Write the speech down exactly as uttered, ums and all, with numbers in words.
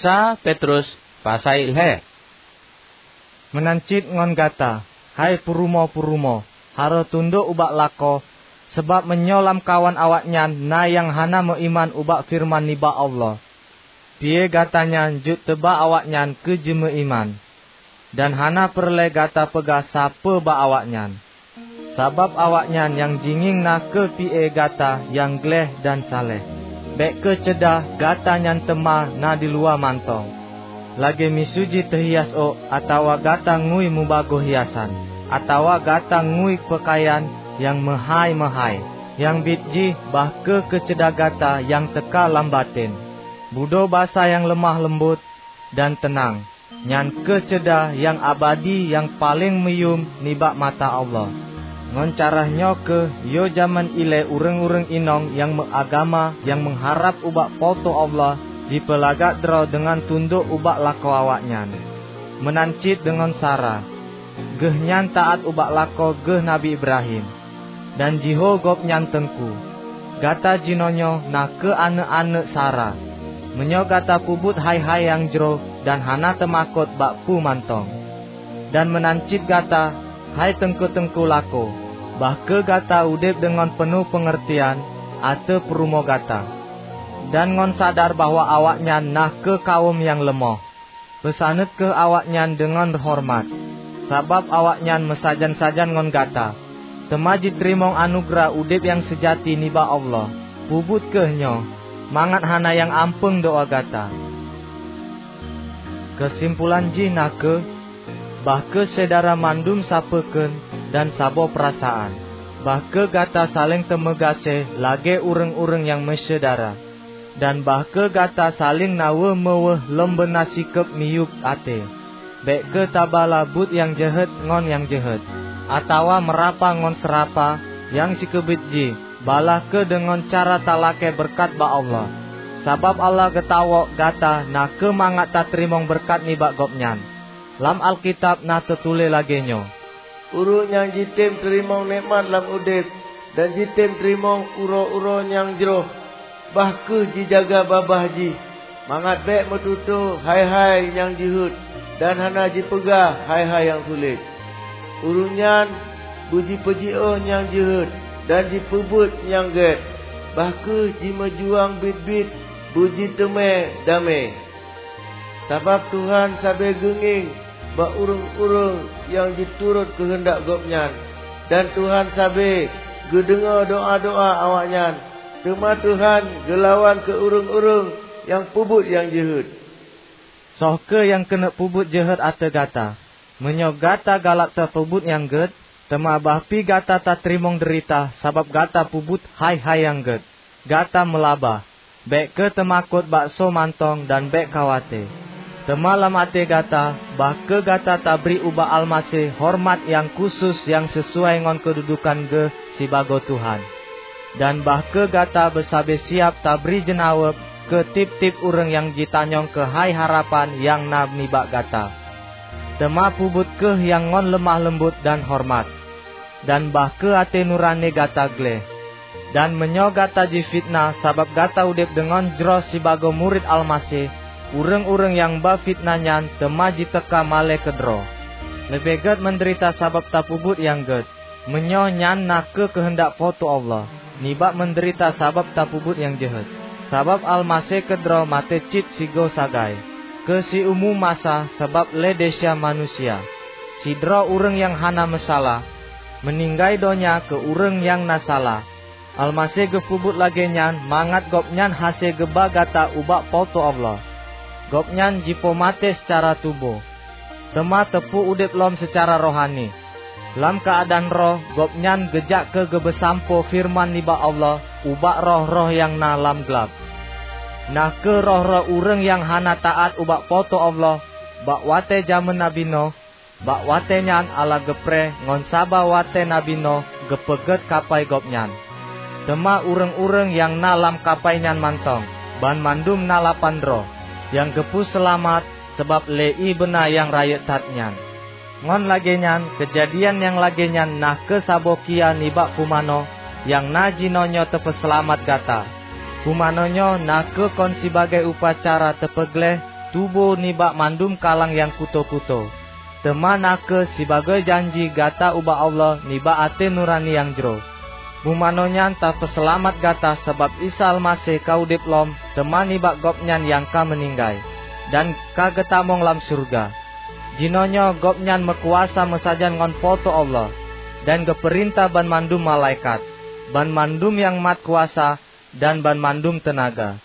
Sa Petrus pasai lhée. Meunan cit ngon gata, hai peurumoe-peurumoe, harôh tundok ubak lakoe, sabab meunyoe lamkawan awaknyan na nyang hana meuiman ubak feureuman nibak Allah, pié gata nyan jeuet teuba awaknyan keu jimeuiman. Dan hana peureulée gata peugah sapeue bak awaknyan, sabab awaknyan nyang jingieng na kheueh pié gata nyang gleh dan saleh. Bék kheueh ceudah gata nyan teuma na diluwa mantong, lagée miseue jih teuhias ôk, atawa gata ngui meubagoe hiasan, atawa gata ngui peukayan nyang meuhái-meuhái. Nyang biet jih, bah kheueh keuceudah gata nyang teuka lam batén, budoe basa nyang leumah leumbot dan teunang. Nyan kheueh ceudah nyang abadi nyang paleng meuyuem nibak mata Allah. Ngon cara nyoe kheueh yôh jamén ilée ureuëng-ureuëng inong nyang meuagama nyang meuharab ubak Po teu Allah jipeulagak droe deungon tundok ubak lakoe awaknyan. Meunan cit deungon Sara, geuhnyan taát ubak lakoe geuh Nabi Ibrahim, dan jiho gobnyan teungku. Gata jinoenyoe na kheueh aneuëk-aneuëk Sara, meunyoe gata peubuet hai-hai nyang jroh dan hana teumakot bak peue mantong. Dan meunan cit gata, hai teungku-teungku lakoe, bah kheueh gata udeb deungon peunoh peungeurtian ateueh peurumoh gata, dan ngon sadar bahwa awaknyan na kheueh kawöm nyang leumoh. Peusaneut kheueh awaknyan deungon horeumat, sabab awaknyan meusajan-sajan ngon gata, teuma jiteurimong anugeurah udeb nyang seujati nibak Allah. Peubuet kheueh nyoe, mangat hana nyang ampeueng doá gata. Keusimpulan jih na kheueh, bah kheueh syedara mandum sapeue kheun dan saboh peurasaan. Bah kheueh gata saléng teumeugaséh lagée ureuëng-ureuëng nyang meusyedara. Dan bah kheueh gata saléng na weueh-meuweueh lom beuna sikeueb miyueb até. Bék kheueh tabala buet nyang jeuhet ngon nyang jeuhet, atawa meurapa ngon seurapa nyang sikeubiet jih. Balaih kheueh deungon cara talakée beureukat bak Allah, sabab Allah geutawök gata na kheueh mangat tateurimong beureukat nibak Gobnyan. Lam Alkitab na teutuléh lagée nyoe, "Ureuëng nyang jitem teurimong nekmat lam udeb dan jitem teurimong uroe-uroe nyang jroh, bah kheueh jijaga babah jih, mangat bék meututoe hai-hai nyang jeuhet dan hana jipeugah hai-hai nyang sulet. Ureuëng nyan beujipeujiôh nyang jeuhet dan jipeubuet nyang gét, bah kheueh jimeujuang biet-biet beujiteumé damé. Sabab Tuhan sabe geungieng bak ureuëng-ureuëng nyang jiturot keuheundak Gobnyan, dan Tuhan sabe geudeungoe doá-doá awaknyan. Teuma Tuhan geulawan keu ureuëng-ureuëng nyang peubuet nyang jeuhet." Soe kheueh nyang keuneuk peubuet jeuhet ateueh gata? Meunyoe gata galak tapeubuet nyang gét, teuma bah pi gata tateurimong deurita sabab gata peubuet hai-hai nyang gét. Gata meulaba, bék kheueh teumakot bak soe mantong dan bék khawate. Teuma lam até gata, bah kheueh gata tabri ubak Almaseh horeumat nyang khusos nyang sisuai ngon keududukan geuh sibagoe Tuhan. Dan bah kheueh gata beusabe siab tabri jeunaweueb keu tieb-tieb ureuëng nyang jitanyong keuhai harapan nyang na nibak gata. Teuma peubuet kheueh nyang ngon leumah leumbot dan horeumat, dan bah kheueh até nurani gata gleh. Dan meunyoe gata jifiteunah sabab gata udeb deungon jroh sibagoe murit Almaseh, ureuëng-ureuëng nyang ba fiteunah nyan teuma jiteuka malée keudroe. Leubeh gét meudeurita sabab tapeubuet nyang gét, meunyoe nyan na kheueh keuheundak Po teu Allah, nibak meudeurita sabab tapeubuet nyang jeuhet. Sabab Almaseh keudroe maté cit sigoe sagai, keu siumu masa sabab lé desya manusia. Sidroe ureuëng nyang hana meusalah, meuninggai donya keu ureuëng nyang na salah. Almaseh geupeubuet lagée nyan mangat Gobnyan hase geuba gata ubak Po teu Allah. Gobnyan jipeumaté seucara tuboh, teuma teupeu udeb lom seucara rohani. Lam keuadaan roh, Gobnyan geujak keu geubeusampoe feureuman nibak Allah ubak roh-roh nyang na lam glab, na kheueh roh-roh ureuëng nyang hana taát ubak Po teu Allah bak watée jamén Nabi Noh. Bak watée nyan Allah geupreh ngon saba watée Nabi Noh geupeugét kapai gobnyan. Teuma ureuëng-ureuëng nyang na lam kapai nyan mantong, banmandum na lapan droe, nyang geupeuseulamat sabab lé ié beuna nyang rayeuk that nyan. Ngon lagée nyan, keujadian nyang lagée nyan na kheueh saboh kia nibak pumanö nyang na jinoenyoe teupeuseulamat gata. Pumanö nyoe na kheueh kon sibagoe upacara teupeugleh tuboh nibak mandum kalang nyang kuto-kuto, teuma na kheueh sibagoe janji gata ubak Allah nibak até nurani nyang jroh. Bumanoe nyan tapeuseulamat gata sabab Isa Almaseh ka udeb lom teuma nibak Gobnyan nyang ka meuninggai, dan ka geutamong lam syeuruga. Jinoenyoe Gobnyan meukuasa meusajan ngon Po teu Allah, dan geupeurintah banmandum malaikat, banmandum nyang mat kuasa, dan banmandum teunaga.